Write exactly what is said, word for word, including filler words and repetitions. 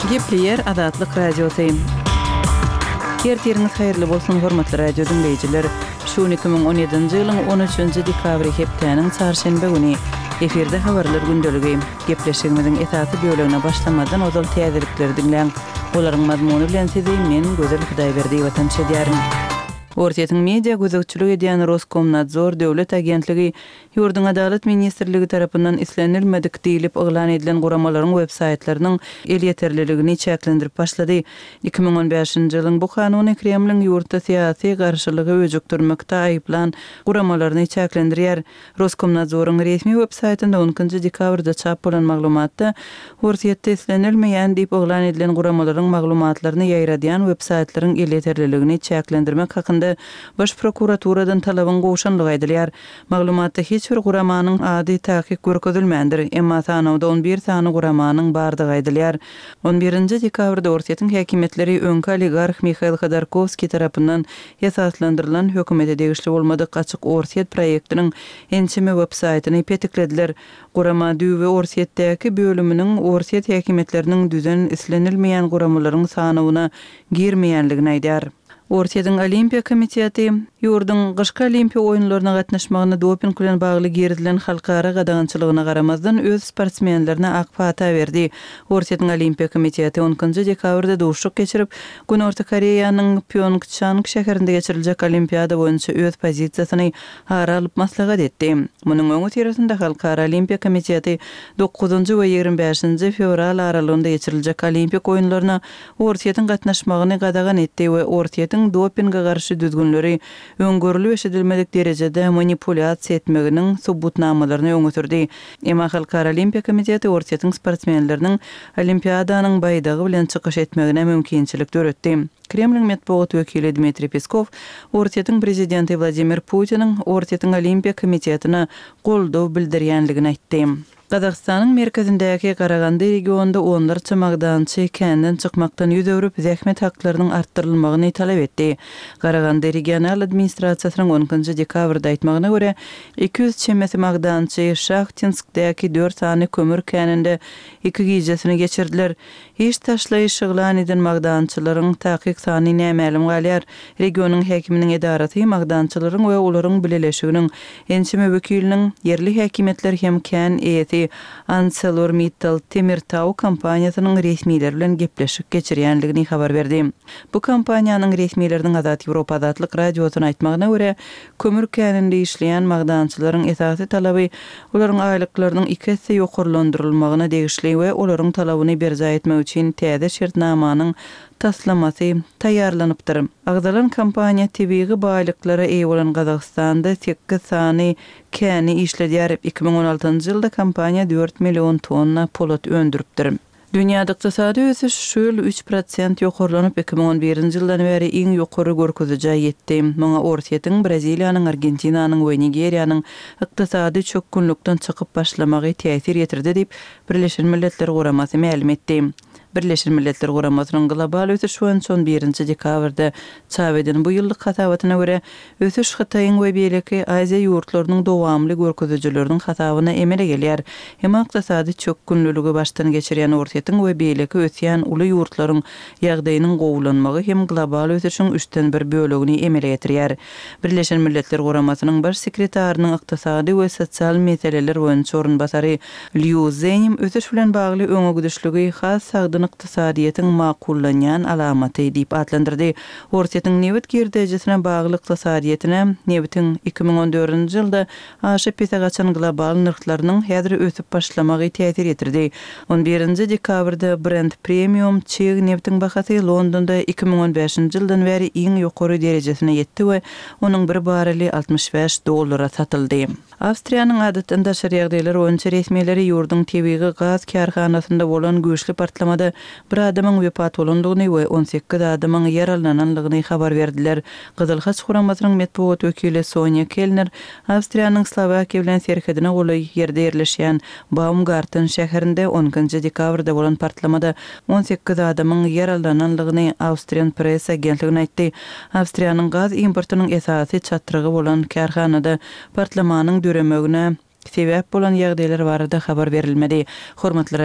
Gepleyer Adatlyk radiosyň. Kertiriniz haýyrly bolsun hormatly radio dinleýijiler. Şu iki bin on ýedinji ýylyň on üçünji dekabry hepdeniň çarşembe güni eferde habarlar gündöligi gepleşigimiziň esasy bölügine başlamadan ozal täzelikleri dinleň. Olaryň mazmuny bilen sizi men Gözel Hudaýberdi watançy diýerim. Ortiýetiň media gözegçiligi edýän Roskomnadzor döwlet agentligi Ýurdun Adalet Ministrligi tarapyndan islenilmedik diýilip oglan edilen guramalaryň web saytlarynyň el ýeterliligini çäklendirip başlady. iki bin on beşinji ýylyň bu kanuny Kremliň ýurtda syýasy garşylygy öjükdirmekde aýyplan guramalaryny çäklendirýär. Roskomnadzoryň resmi web saytynda on üçünji dekabrda çap bolan maglumatda ortiýetde islenilmeýän diýip oglan edilen guramalaryň maglumatlaryny ýaýradýan web saytlaryň el ýeterliligini çäklendirmek hakynda Baş prokuraturadan talabyň goşanlygy aýdylýar. Maglumatda hiç bir guramanyň ady täkik görkezilmändir. Emma sanawda on bir sany guramanyň bardygy aýdylýar. on birinji dekabrda ortiýetiň häkimetleri öňki oligark Mikhail Khodorkovskiy tarapyndan esaslandyrylan hökümete degişli bolmadyk açyk ortiýet proýektiniň ençime web saytyny petiklediler. Gurama düýbe ortiýetdäki bölüminiň ortiýet häkimetleriniň düzen islenilmeýän guramalaryň sanawyna girmeýänligini aýdýar. Ortiýetiň Olimpiya komiteti Ýurdun gyşky Olimpiya oýunlaryna gatnaşmagyna doping bilen bagly geridilen halkara gadagançylygyna garamazdan öz sportsmenlerine ak pata berdi. Ortiýetiň Olimpiya komiteti on üçünji dekabrda duşuk geçirip, Gün Orta Koreýanyň Pyeongchang şäherinde geçiriljek Olimpiada boýunça öz pozisiýasyny hara alyp maslahat etdi. Munyň öňü teresinde Halkara Olimpiya komiteti dokuzunji we ýigirme beşinji fevral aralygynda geçiriljek Olimpik oýunlaryna ortiýetiň gatnaşmagyny gadagan etdi we ortiýetiň dopingga garşy düzgünleri öňgörüli eşidilmedik derejede manipulyasiýa etmeginiň subutnamalaryny öňe sürdi. Emma Halkara Olimpiya komiteti ortiýetiň sportsmenleriniň Olimpiadanyň baýdagy bilen çykyş etmegine mümkinçilik töretdi. Kremliň matbuat wekili Dmitri Peskov ortiýetiň prezidenti Vladimir Putiniň ortiýetiň Olimpiya komitetine goldaw bildirýänligini aýtdy. Qazaqstanyň merkezindäki Garagandy regionunda onlarça magdançy kendinden çykmakdan ýüz öwrüp zähmet haklarynyň artdyrylmagyny talap etdi. Garagandy regional administrasiýasynyň on üçünji dekabrda aýtmagyna görä, iki yüz çemesi magdançy Şahtinskdäki dört sany kömür keninde iki gijesini geçirdiler. Hiç taşlayış şyglan eden magdançylaryň takyk sany nämälim galýar. Regionyň häkiminiň edarasy magdançylaryň we olaryň bileleşiginiň ençime wekiliniň yerli häkimetler hem kän eýeti ArcelorMittal Temirtau kompaniýasynyň resmiýetleri bilen gepleşik geçirýänligini habar berdi. Bu kompaniýanyň resmiýetleriniň Azat Ýewropa adatlyk radiosyna aýtmagyna görä, kömür käninde işleýän magdançylaryň esasy talaby olaryň aýlyklarynyň iki hisse ýokarlandyrylmagyna degişli we olaryň talabyny berja etmek üçin täze şertnamanyň taslamasy taýýarlanypdyr. Agdalan kompaniýa tebiği baýlyklara eýe bolan Gazagstanda sekiz sany käni işledýär. iki bin on altynji ýylda kompaniýa dört million tonna polat öndüripdir. Dünýäde ykdysady ösüş şu ýyl üç prosent ýokarlanyp iki bin on birinji ýyldan beri iň ýokary görkezije ýetdi. Muňa ortiýetiň Braziliýanyň, Argentinanyň we Nigeriýanyň ykdysady çökünlükden çykyp başlamagy täsir ýetirdi diýip Birleşen Milletler Guramasy ma'lum etdi. Birleşen Milletler Guramasynyň global ösüş on birinji dekabrda çap eden bu ýyllyk hasabatyna görä, ösüş Hitaýyň we beýleki Aziýa ýurtlarynyň dowamly görkezijileriniň hasabyna emele gelýär. Hem ykdysady çökünlüligi başdan geçirýän ortiýetiň we beýleki ösýän uly ýurtlaryň ýagdaýynyň gowulanmagy hem global ösüşiň üçten bir bölegini emele getirýär. Birleşen Milletler Guramasynyň baş sekretarinyň ykdysady we sosial meseleler boýunça orunbasary Liu Zenim ösüş bilen bagly öňe güdüşligi has ykdysadyýetyň makullanýan alamaty diýip adlandyrdy. Ortiýetiň nebet gerdejesine bagly ykdysadyýetine nebetiň iki bin on dördünji ýylda aşyp pesagaçan global nyrklarynyň häzir ösüp başlamagy täsir etirdi. on birinji dekabrda Brent Premium çeýig nebetiň bahasy Londonda iki bin on beşinji ýyldan beri iň ýokary derejesine ýetdi we onuň bir barreli altmış beş dollara satyldy. Awstriýanyň adatynda şeriýagdaýlar boýunça resmiýetleri ýurdun tebiği gaz karhanasynda bolan güýçli partlamada bir adamyň wepat bolandygyny we on sekiz adamyň ýaralananlygyny habar berdiler. Gyzyl Haç Guramasynyň matbuat wekili Sonia Kellner Awstriýanyň Slovakiýa bilen serhedine goly ýerde ýerleşýän Baumgarten şäherinde on üçünji dekabrda bolan partlamada on sekiz adamyň ýaralananlygyny Awstriýan press agentligine aýtdy. Awstriýanyň gaz importunyň esasy çatrygy bolan karhanada partlamanyň döremegine sebäp bolan ýagdaýlar barada habar berilmedi. Hormatly